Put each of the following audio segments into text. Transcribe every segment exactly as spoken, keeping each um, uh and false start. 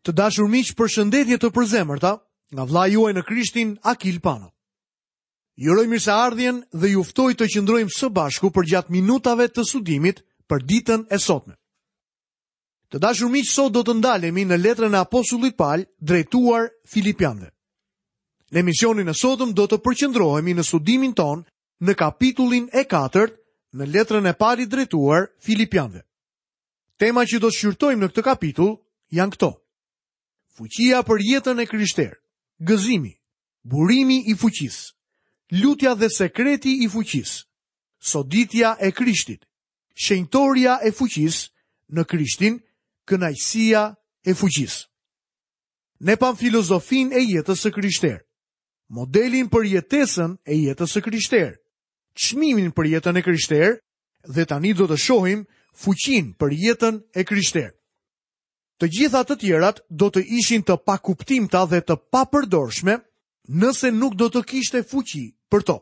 Të dashur miq, përshëndetje të përzemërta nga vëllai juaj në Krishtin, Akil Pano. Ju uroj mirëseardhjen dhe ju ftoj të qëndrojmë së bashku përgjatë minutave të studimit për ditën e sotme. Të dashur miq, sot do të ndalemi në letrën e apostullit Paul drejtuar Filipianëve. Në emisionin e sotëm do të përqendrohemi në studimin ton në kapitullin e katërt në letrën e Palit drejtuar Filipianëve. Tema që do të shqyrtojmë në këtë kapitull janë këto: Fuqia për jetën e krishterë, gëzimi, burimi i fuqisë, lutja dhe sekreti i fuqisë, soditja e Krishtit, shenjtoria e fuqisë në Krishtin, kënaqësia e fuqisë. Ne pam filozofinë e jetës së krishterë, modelin për jetesën e jetës së krishterë, çmimin për jetën e krishterë dhe tani do të shohim fuqinë për jetën e krishterë. Të gjitha të tjerat do të ishin të pakuptimta dhe të papërdorshme nëse nuk do të kishte fuqi për to.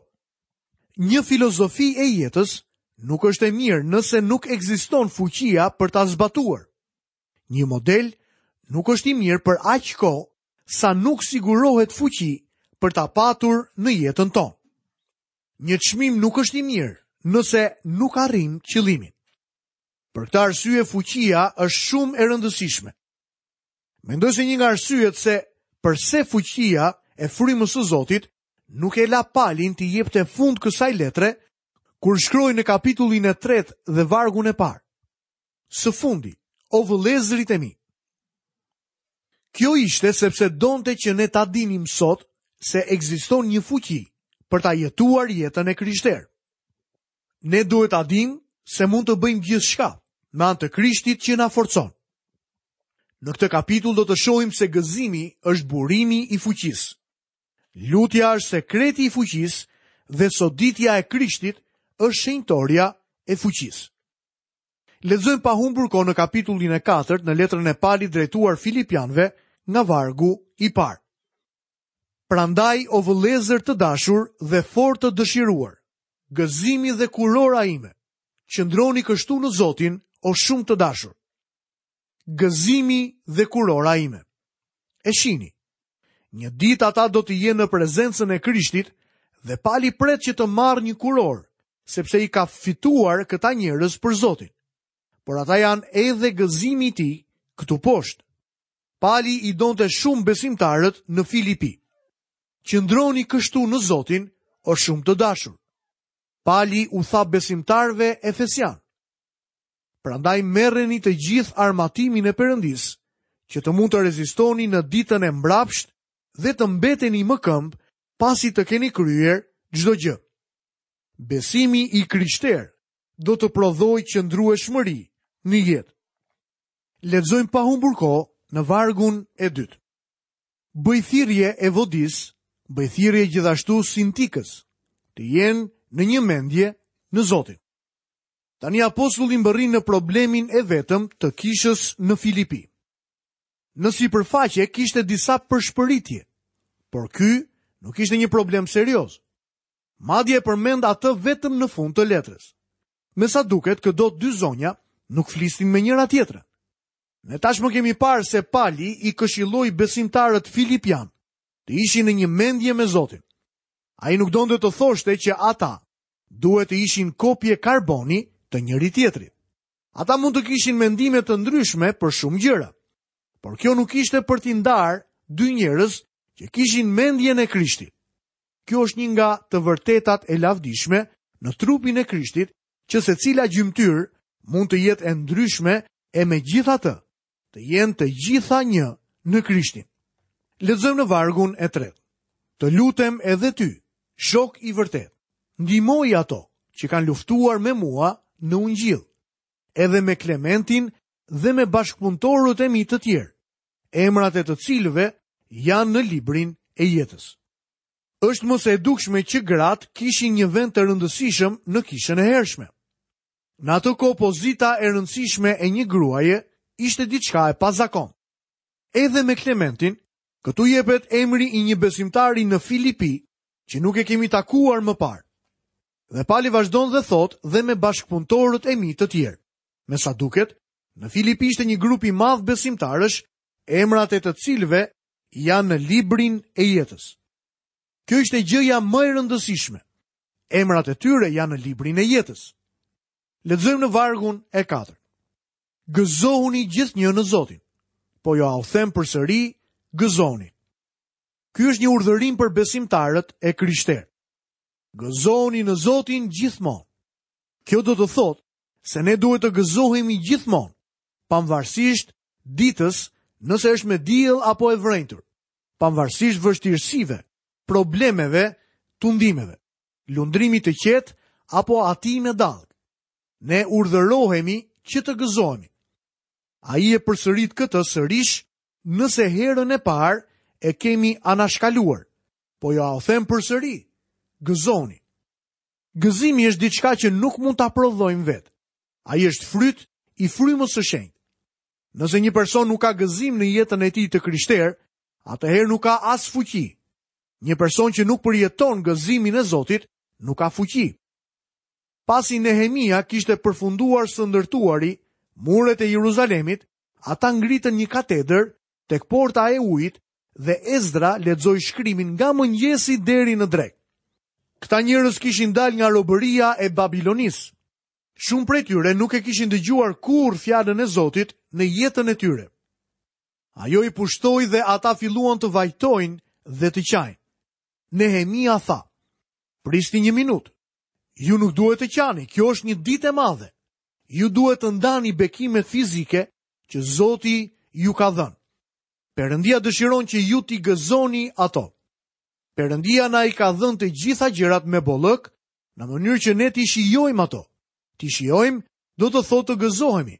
Një filozofi e jetës nuk është e mirë nëse nuk ekziston fuqia për ta zbatuar. Një model nuk është i mirë për aq kohë sa nuk sigurohet fuqi për ta patur në jetën tonë. Një çmim nuk është i mirë nëse nuk arrim qëllimin. Për këtë arsye fuqia është shumë e rëndësishme. Mendoj se një nga arsyet se përse fuqia e frymës së Zotit nuk e la Palin t'i jepte fund kësaj letre kur shkroi në kapitullin e tretë dhe vargun e parë. Së fundi, o vëllezërit e mi. Kjo ishte sepse donte që ne ta dinim sot se ekziston një fuqi për ta jetuar jetën e krishterë. Ne duhet ta dimë se mund të bëjmë gjithçka me anë të Krishtit që na forcon. Në këtë kapitull do të shohim se gëzimi është burimi i fuqisë. Lutja është sekreti i fuqisë dhe soditja e Krishtit është shenjtoria e fuqisë. Lexojmë pa humbur kohë në kapitullin e katërt në letrën e Palit drejtuar Filipianëve nga vargu i parë. Prandaj, o vëllezër të dashur dhe fort të dëshiruar, gëzimi dhe kurora ime, qëndroni kështu në Zotin, o shumë të dashur. Gëzimi dhe kurora ime. E shini, një ditë ata do të jenë në prezencën e Krishtit dhe Pali pret që të marrë një kurorë, sepse i ka fituar këta njerëz për Zotin. Por ata janë edhe gëzimi i tij këtu poshtë. Pali i donte shumë besimtarët në Filipi. Qëndroni kështu në Zotin, o shumë të dashur. Pali u tha besimtarëve efesian: Prandaj merreni të gjithë armatimin e Perëndisë, që të mund të rezistoni në ditën e mbrapsht dhe të mbeteni më këmbë pasi të keni kryer çdo gjë. Besimi i krishterë do të prodhojë qëndrueshmëri në jetë. Lexojmë pa humbur kohë në vargun e dytë. Bëj thirrje Evodis, bëj thirrje gjithashtu Sintikës, të jenë në një mendje në Zotin. Tani apostulli mbërrin në problemin e vetëm të kishës në Filipi. Në sipërfaqe kishte disa përshpëritje, por ky nuk ishte një problem serioz. Madje e përmend atë vetëm në fund të letrës. Me sa duket, këto dy zonja nuk flisnin me njëra tjetrën. Ne tashmë kemi parë se Pali i këshilloi besimtarët filipian të ishin në një mendje me Zotin. Ai nuk donte të thoshte që ata duhet të ishin kopje karboni të njëri tjetrit. Ata mund të kishin mendime të ndryshme për shumë gjëra, por kjo nuk ishte për t'i ndarë dy njerëz që kishin mendjen e Krishtit. Kjo është një nga të vërtetat e lavdishme në trupin e Krishtit, që secila gjymtyrë mund të jetë e ndryshme e megjithatë të jenë të gjitha një në Krishtin. Lexojmë në vargun e tretë. Të lutem edhe ty, shok i vërtet, ndihmoi ato që kanë luftuar me mua në Ungjil, edhe me Klementin dhe me bashkëpunëtorët e mi të tjerë, emrat e të cilëve janë në librin e jetës. Është më se e dukshme që gratë kishin një vend të rëndësishëm në kishën e hershme. Në atë kohë pozita e rëndësishme e një gruaje ishte diçka e pazakon. Edhe me Klementin, këtu jepet emri i një besimtari në Filipi që nuk e kemi takuar më parë. Dhe Pali vazhdon dhe thot dhe me bashkëpunëtorët e mi të tjerë. Me sa duket, në Filipi ishte një grup i madh besimtarësh emrat e të cilëve janë në librin e jetës. Kjo ishte gjëja më e rëndësishme. Emrat e tyre janë në librin e jetës. Lexojmë në vargun e katërt. Gëzohuni gjithnjë në Zotin. Po jua them përsëri, gëzohuni. Ky është një urdhërim për besimtarët e krishterë. Gëzohuni në Zotin gjithmonë. Kjo do të thotë se ne duhet të gëzohemi gjithmonë, pavarësisht ditës, nëse është me diell apo e vrenjtur, pavarësisht vështirësive, problemeve, tundimeve, lundrimit të qetë apo atij me dallgë. Ne urdhërohemi që të gëzohemi. Ai e përsërit këtë sërish nëse herën e parë e kemi anashkaluar. Po jua them përsëri, gëzohuni. Gëzimi është diçka që nuk mund ta prodhojmë vetë. Ai është fryt i frymës së shenjtë. Nëse një person nuk ka gëzim në jetën e tij të krishterë, atëherë nuk ka as fuqi. Një person që nuk përjeton gëzimin e Zotit, nuk ka fuqi. Pasi Nehemia kishte përfunduar së ndërtuari muret e Jeruzalemit, ata ngritën një katedër tek porta e ujit dhe Ezdra lexoi shkrimin nga mëngjesi deri në drekë. Këta njerëz kishin dalë nga robëria e Babilonisë. Shumë prej tyre nuk e kishin dëgjuar kurrë fjalën e Zotit në jetën e tyre. Ajo i pushtoi dhe ata filluan të vajtojnë dhe të qajnë. Nehemia tha: "Prisni një minutë. Ju nuk duhet të qani, kjo është një ditë e madhe. Ju duhet të ndani bekimet fizike që Zoti ju ka dhënë. Perëndia dëshiron që ju t'i gëzoni ato. Perëndia na i ka dhënë të gjitha gjërat me bollëk, në mënyrë që ne t'i shijojmë ato. T'i shijojmë do të thotë të gëzohemi.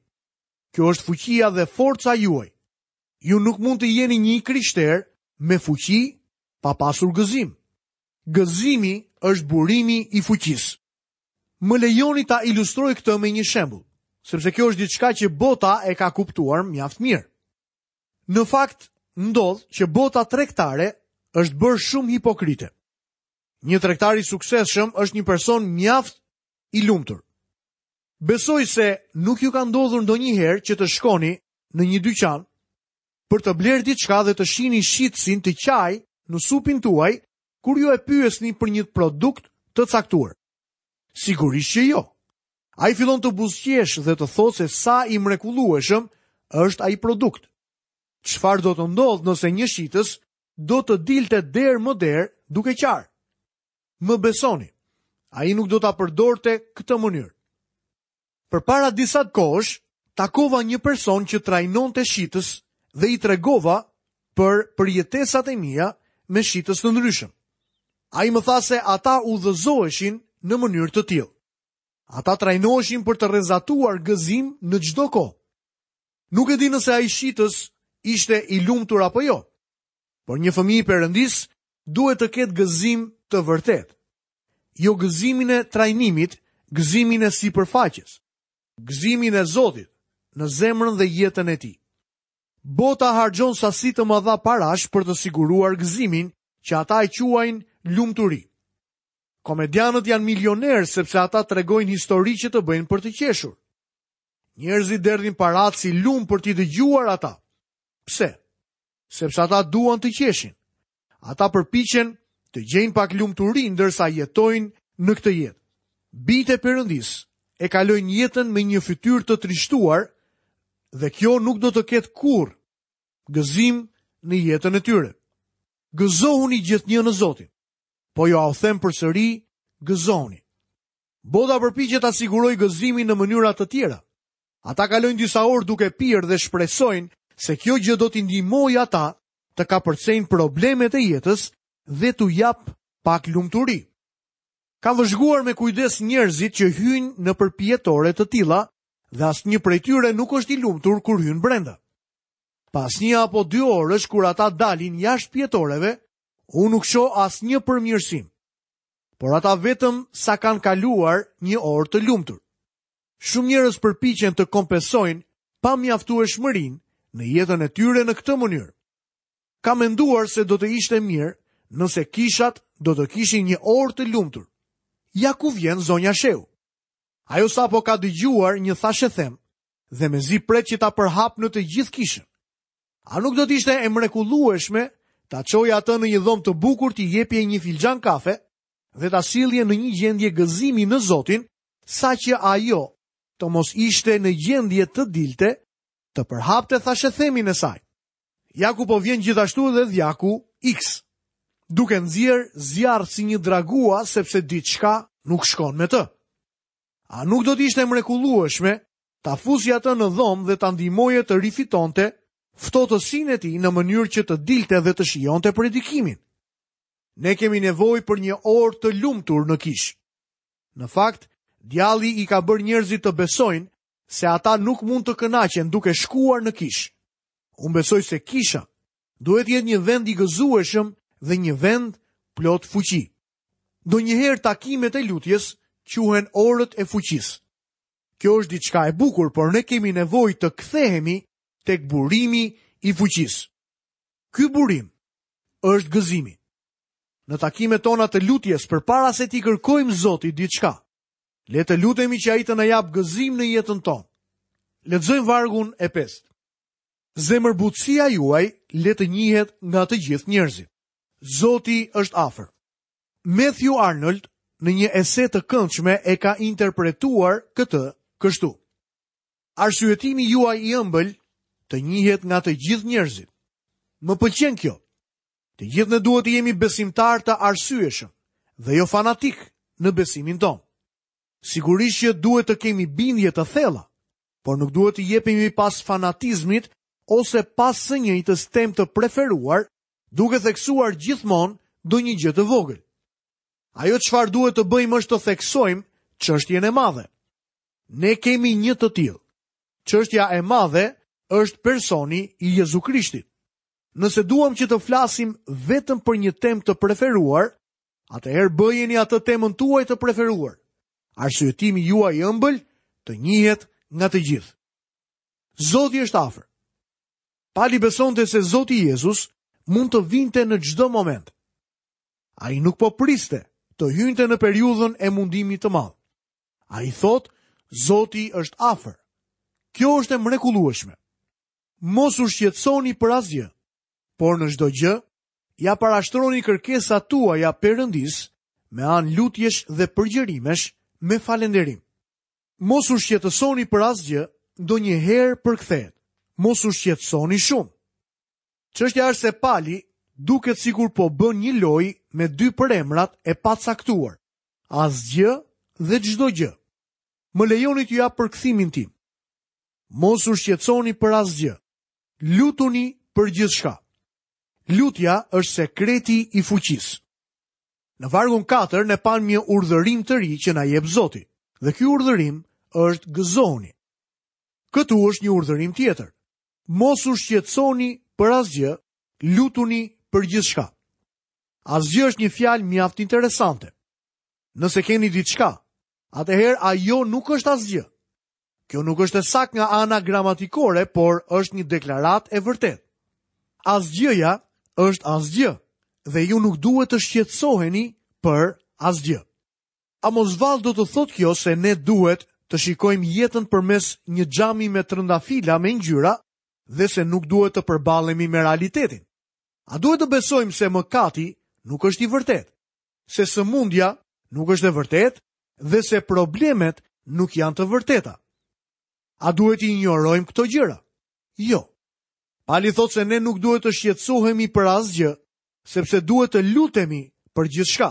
Kjo është fuqia dhe forca juaj. Ju nuk mund të jeni një krishter me fuqi pa pasur gëzim. Gëzimi është burimi i fuqisë. Më lejoni ta ilustroj këtë me një shembull, sepse kjo është diçka që bota e ka kuptuar mjaft mirë. Në fakt, ndodh që bota tregtare është bërë shumë hipokrite. Një tregtar i suksesshëm është një person mjaft i lumtur. Besoj se nuk ju ka ndodhur ndonjëherë që të shkoni në një dyqan për të blerë diçka dhe të shihni shitësin të qaj në supin tuaj kur ju e pyesni për një produkt të caktuar. Sigurisht që jo. Ai fillon të buzëqesh dhe të thotë se sa i mrekullueshëm është ai produkt. Çfarë do të ndodhë nëse një shitës do të dilte derë më derë duke qarë? Më besoni, ai nuk do ta përdorte këtë mënyrë. Përpara disa kohësh, takova një person që trajnonte shitës dhe i tregova për përjetesat e mia me shitës të ndryshëm. Ai më tha se ata udhëzoheshin në mënyrë të tillë. Ata trajnoheshin për të rrezatuar gëzim në çdo kohë. Nuk e di nëse ai shitës ishte i lumtur apo jo, por një fëmijë i Perëndisë duhet të ketë gëzim të vërtetë. Jo gëzimin e trajnimit, gëzimin e sipërfaqes, gëzimin e Zotit në zemrën dhe jetën e tij. Bota harxhon sasi të mëdha parash për të siguruar gëzimin që ata e quajnë lumturi. Komedianët janë milionerë sepse ata tregojnë histori që të bëjnë për të qeshur. Njerëzit derdhin paratë si lum për t'i dëgjuar ata. Pse? Sepse ata duan të qeshin. Ata përpiqen të gjejnë pak lumturi ndërsa jetojnë në këtë jetë. Bijtë e Perëndisë e kalojnë jetën me një fytyrë të trishtuar dhe kjo nuk do të ketë kurrë gëzim në jetën e tyre. Gëzohuni gjithnjë në Zotin. Po jua them përsëri, gëzohuni. Bota përpiqet ta sigurojë gëzimin në mënyra të tjera. Ata kalojnë disa orë duke pirë dhe shpresojnë se kjo gjë do t'i ndihmojë ata të kapërcejnë problemet e jetës dhe t'u jap pak lumturi. Kam vëzhguar me kujdes njerëzit që hyjnë në përpjetore të tilla dhe asnjë prej tyre nuk është i lumtur kur hyn brenda. Pas një apo dy orësh kur ata dalin jashtë pjetoreve, unë nuk shoh asnjë përmirësim. Por ata vetëm sa kanë kaluar një orë të lumtur. Shumë njerëz përpiqen të kompensojnë pamjaftueshmërinë në jetën e tyre në këtë mënyrë. Kam menduar se do të ishte mirë nëse kishat do të kishin një orë të lumtur. Ja ku vjen zonja Sheu. Ajo sapo ka dëgjuar një thashethem dhe mezi pret që ta përhap në të gjithë kishën. A nuk do të ishte e mrekullueshme ta çoje atë në një dhomë të bukur, t'i jepje një filxhan kafe dhe ta sillje në një gjendje gëzimi në Zotin, saqë ajo të mos ishte në gjendje të dilte, të përhapte thashethemin e saj. Ja ku po vjen gjithashtu edhe dhjaku X, duke nxjerr zjarr si një dragua sepse diçka nuk shkon me të. A nuk do të ishte mrekullueshme ta fusje atë në dhomë dhe ta ndihmoje të rifitonte ftohtësinë e tij në mënyrë që të dilte dhe të shijonte predikimin? Ne kemi nevojë për një orë të lumtur në kishë. Në fakt, djalli i ka bërë njerëzit të besojnë se ata nuk mund të kënaqen duke shkuar në kishë. Unë besoj se kisha duhet jetë një vend i gëzueshëm dhe një vend plot fuqi. Ndonjëherë takimet e lutjes quhen orët e fuqisë. Kjo është diçka e bukur, por ne kemi nevojë të kthehemi tek burimi i fuqisë. Ky burim është gëzimi. Në takimet tona të lutjes, përpara se t'i kërkojmë Zotit diçka, le të lutemi që ai të na japë gëzim në jetën tonë. Lexojmë vargun e pestë. Zemërbutësia juaj le të njihet nga të gjithë njerëzit. Zoti është afër. Matthew Arnold në një ese të këndshme e ka interpretuar këtë kështu: Arsyetimi juaj i ëmbël të njihet nga të gjithë njerëzit. Më pëlqen kjo. Të gjithë ne duhet të jemi besimtar të arsyeshëm dhe jo fanatik në besimin tonë. Sigurisht që duhet të kemi bindje të thella, por nuk duhet të jepemi pas fanatizmit ose pas së njëjtës temë të preferuar, duke theksuar gjithmonë ndonjë gjë të vogël. Ajo çfarë duhet të bëjmë është të theksojmë çështjen e madhe. Ne kemi një të tillë. Çështja e madhe është personi i Jezu Krishtit. Nëse duam që të flasim vetëm për një temë të preferuar, atëherë bëjeni atë temën tuaj të preferuar. Arsyetimi juaj i ëmbël të njihet nga të gjithë. Zoti është afër. Pali besonte se Zoti Jezus mund të vinte në çdo moment. Ai nuk po priste të hynte në periudhën e mundimit të madh. Ai thotë, Zoti është afër. Kjo është e mrekullueshme. Mos u shqetësoni për asgjë, por në çdo gjë ja parashtroni kërkesat tuaja Perëndis me anë lutjesh dhe përgjërimesh me falënderim. Mos u shqetësoni për asgjë, ndonjëherë përkthehet. Mos u shqetësoni shumë. Çështja është se Pali duket sikur po bën një lojë me dy përemrat e pacaktuar, asgjë dhe çdo gjë. Më lejoni t'ju jap përkthimin tim. Mos u shqetësoni për asgjë. Lutuni për gjithçka. Lutja është sekreti i fuqisë. Në vargun katër ne pamë një urdhërim të ri që na jep Zoti, dhe ky urdhërim është gëzohuni. Këtu është një urdhërim tjetër. Mos u shqetësoni për asgjë, lutuni për gjithçka. Asgjë është një fjalë mjaft interesante. Nëse keni diçka, atëherë ajo nuk është asgjë. Kjo nuk është e saktë nga ana gramatikore, por është një deklaratë e vërtetë. Asgjëja është asgjë dhe ju nuk duhet të shqetësoheni për asgjë. A mos vallë do të thotë kjo se ne duhet të shikojmë jetën përmes një xhami me trëndafila me ngjyra dhe se nuk duhet të përballemi me realitetin? A duhet të besojmë se mëkati nuk është i vërtetë, se sëmundja nuk është e vërtetë dhe se problemet nuk janë të vërteta? A duhet i injorojmë këto gjëra? Jo. Pali thotë se ne nuk duhet të shqetësohemi për asgjë, sepse duhet të lutemi për gjithçka.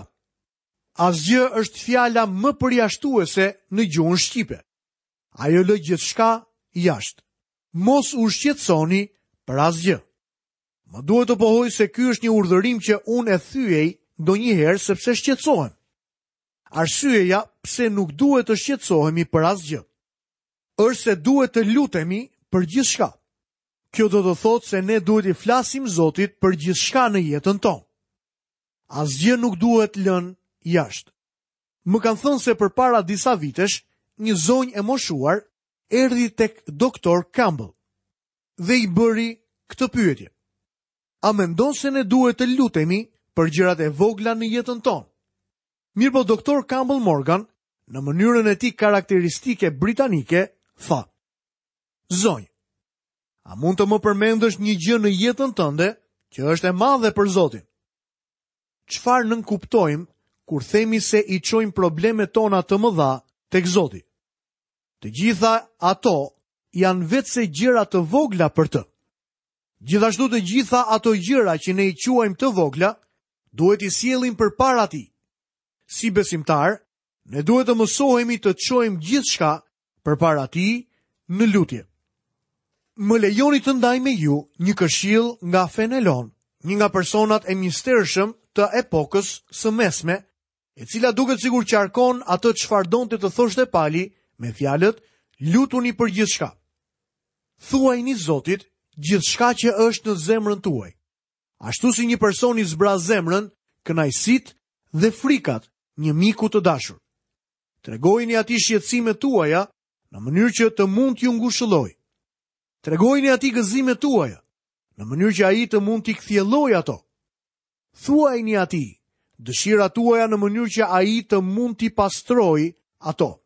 Asgjë është fjala më përjashtuese në gjuhën shqipe. Ajo lë gjithçka jashtë. Mos u shqetësoni për asgjë. Më duhet të pohoj se ky është një urdhërim që unë e thyej ndonjëherë sepse shqetësohem. Arsyeja pse nuk duhet të shqetësohemi për asgjë është se duhet të lutemi për gjithçka. Kjo do të thotë se ne duhet i flasim Zotit për gjithçka në jetën tonë. Asgjë nuk duhet lënë jashtë. Më kanë thënë se përpara disa vitesh, një zonjë e moshuar erdhi tek doktor Campbell dhe i bëri këtë pyetje: A mendon se ne duhet të lutemi për gjërat e vogla në jetën tonë? Mirë po doktor Campbell Morgan, në mënyrën e tij karakteristike britanike, tha: Zonjë, A mund të më përmendësh një gjë në jetën tënde që është e madhe për Zotin? Çfarë nënkuptojmë kur themi se i çojmë problemet tona të mëdha tek Zoti? Të gjitha ato janë vetëse gjëra të vogla për të. Gjithashtu të gjitha ato gjëra që ne i quajmë të vogla, duhet i sjellim përpara tij. Si besimtar, ne duhet të mësohemi të çojmë gjithçka përpara tij në lutje. Më lejoni të ndaj me ju një këshill nga Fenelon, një nga personat e mistershëm të epokës së mesme, e cila duket sikur qarkon atë çfarë donte të thoshte Pali me fjalët lutuni për gjithçka. Thuajini Zotit gjithçka që është në zemrën tuaj. Ashtu si një person i zbraz zemrën, kënaqësitë dhe frikat një miku të dashur. Tregojini atij shqetësimet tuaja në mënyrë që të mund t'ju ngushëllojë. Tregojini atij gëzimet tuaja në mënyrë që ai të mund t'i kthjellojë ato. Thuajini atij dëshirat tuaja në mënyrë që ai të mund t'i pastrojë ato.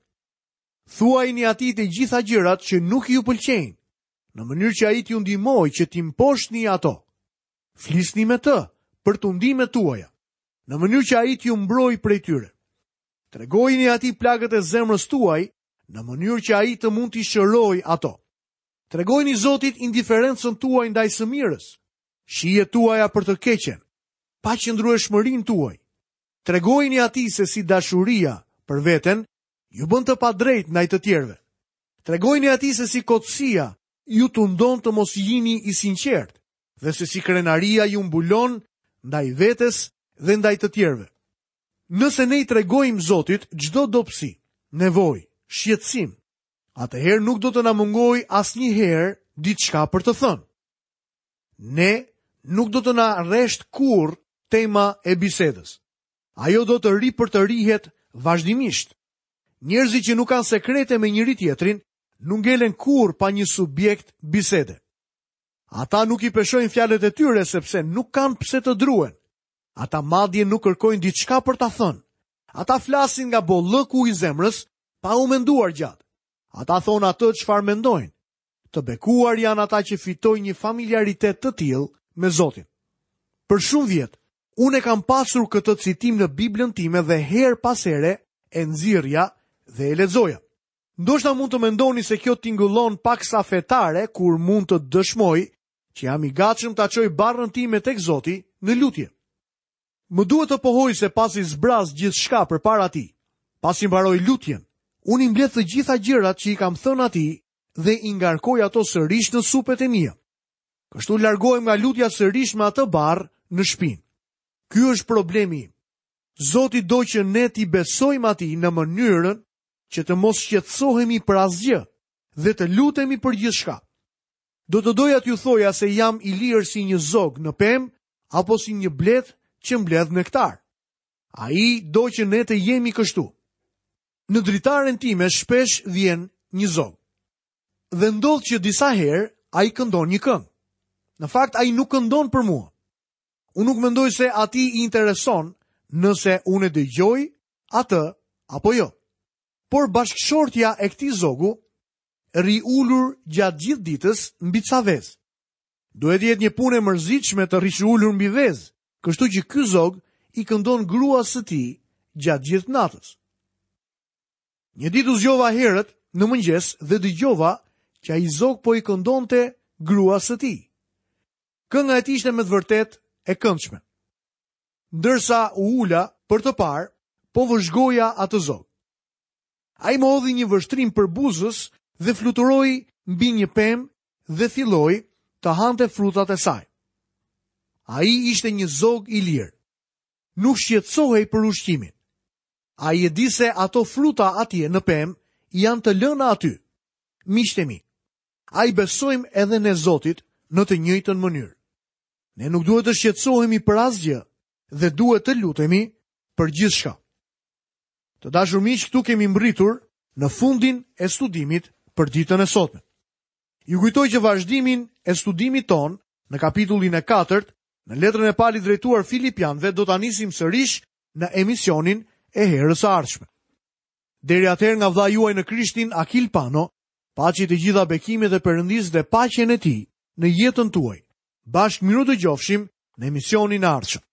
Thuajini atij të gjitha gjërat që nuk ju pëlqejnë, në mënyrë që ai t'ju ndihmojë që t'i mposhtni ato. Flisni me të për tundimet tuaja, në mënyrë që ai t'ju mbrojë prej tyre. Tregojini atij plagët e zemrës tuaj, në mënyrë që ai të mund t'i shërojë ato. Tregojini Zotit indiferencën tuaj ndaj së mirës, shijet tuaja për të keqen, paqëndrueshmërinë tuaj. Tregojini atij se si dashuria për veten ju bën të padrejt ndaj të tjerëve. Tregojini atij se si kotësia ju tundon të mos jini i sinqert dhe se si krenaria ju mbulon ndaj vetes dhe ndaj të tjerëve. Nëse ne i tregojmë Zotit çdo dobësi, nevojë, shqetësim, atëherë nuk do të na mungojë asnjëherë diçka për të thënë. Ne nuk do të na rresht kurrë tema e bisedës. Ajo do të ripërtërihet vazhdimisht. Njerëzit që nuk kanë sekrete me njëri tjetrin, nuk ngelen kurrë pa një subjekt bisede. Ata nuk i peshojnë fjalët e tyre sepse nuk kanë pse të druen. Ata madje nuk kërkojnë diçka për ta thënë. Ata flasin nga bollëku i zemrës pa u menduar gjatë. Ata thonë atë çfarë mendojnë. Të bekuar janë ata që fitojnë një familiaritet të tillë me Zotin. Për shumë vjet, unë e kam pasur këtë citim në Biblën time dhe herë pas here e nxirrja dhe e lexoja. Ndoshta mund të mendoni se kjo tingëllon paksa fetare kur mund të dëshmoj që jam i gatshëm ta çoj barrën time tek Zoti në lutje. Më duhet të pohoj se pasi zbraz gjithçka përpara tij, pasi mbaroj lutjen, unë i mbledh të gjitha gjërat që i kam thënë atij dhe i ngarkoj ato sërish në supet e mia. Kështu largohem nga lutja sërish me atë barrë në shpinë. Ky është problemi im. Zoti do që ne t'i besojmë atij në mënyrën që të mos shqetësohemi për asgjë dhe të lutemi për gjithçka. Do të doja t'ju thoja se jam i lirë si një zog në pemë apo si një blet që mbledh nektar. Ai do që ne të jemi kështu. Në dritaren time shpesh vjen një zog. Dhe ndodh që disa herë ai këndon një këngë. Në fakt ai nuk këndon për mua. Unë nuk mendoj se atij i intereson nëse unë e dëgjoj atë apo jo. Por bashkëshortja e këtij zogu rri ulur gjatë gjithë ditës mbi ca vezë. Duhet të jetë një punë e mërzitshme të rrish ulur mbi vezë, kështu që ky zog i këndon gruas së tij gjatë gjithë natës. Një ditë u zgjova herët në mëngjes dhe dëgjova që ai zog po i këndonte gruas së tij. Kënga e tij ishte me të vërtetë e këndshme. Ndërsa u ula për të parë, po vëzhgoja atë zog. Ai më hodhi një vështrim për buzës dhe fluturoi mbi një pemë dhe filloi të hante frutat e saj. Ai ishte një zog i lirë. Nuk shqetësohej për ushqimin. Ai e di se ato fruta atje në pemë janë të lëna aty. Miqtë e mi, ai besojmë edhe ne Zotit në të njëjtën mënyrë. Ne nuk duhet të shqetësohemi për asgjë dhe duhet të lutemi për gjithçka. Të dashur miq, këtu kemi mbërritur në fundin e studimit për ditën e sotme. Ju kujtoj që vazhdimin e studimit ton në kapitullin e katërt, në letrën e Palit drejtuar Filipianëve, do ta nisim sërish në emisionin e herës së ardhshme. Deri atëherë nga vëllai juaj në Krishtin, Akil Pano, Paçi të gjitha bekimet e Perëndisë dhe paqen e Tij në jetën tuaj. Bashkë mirudëgjofshim në emisionin e ardhshëm.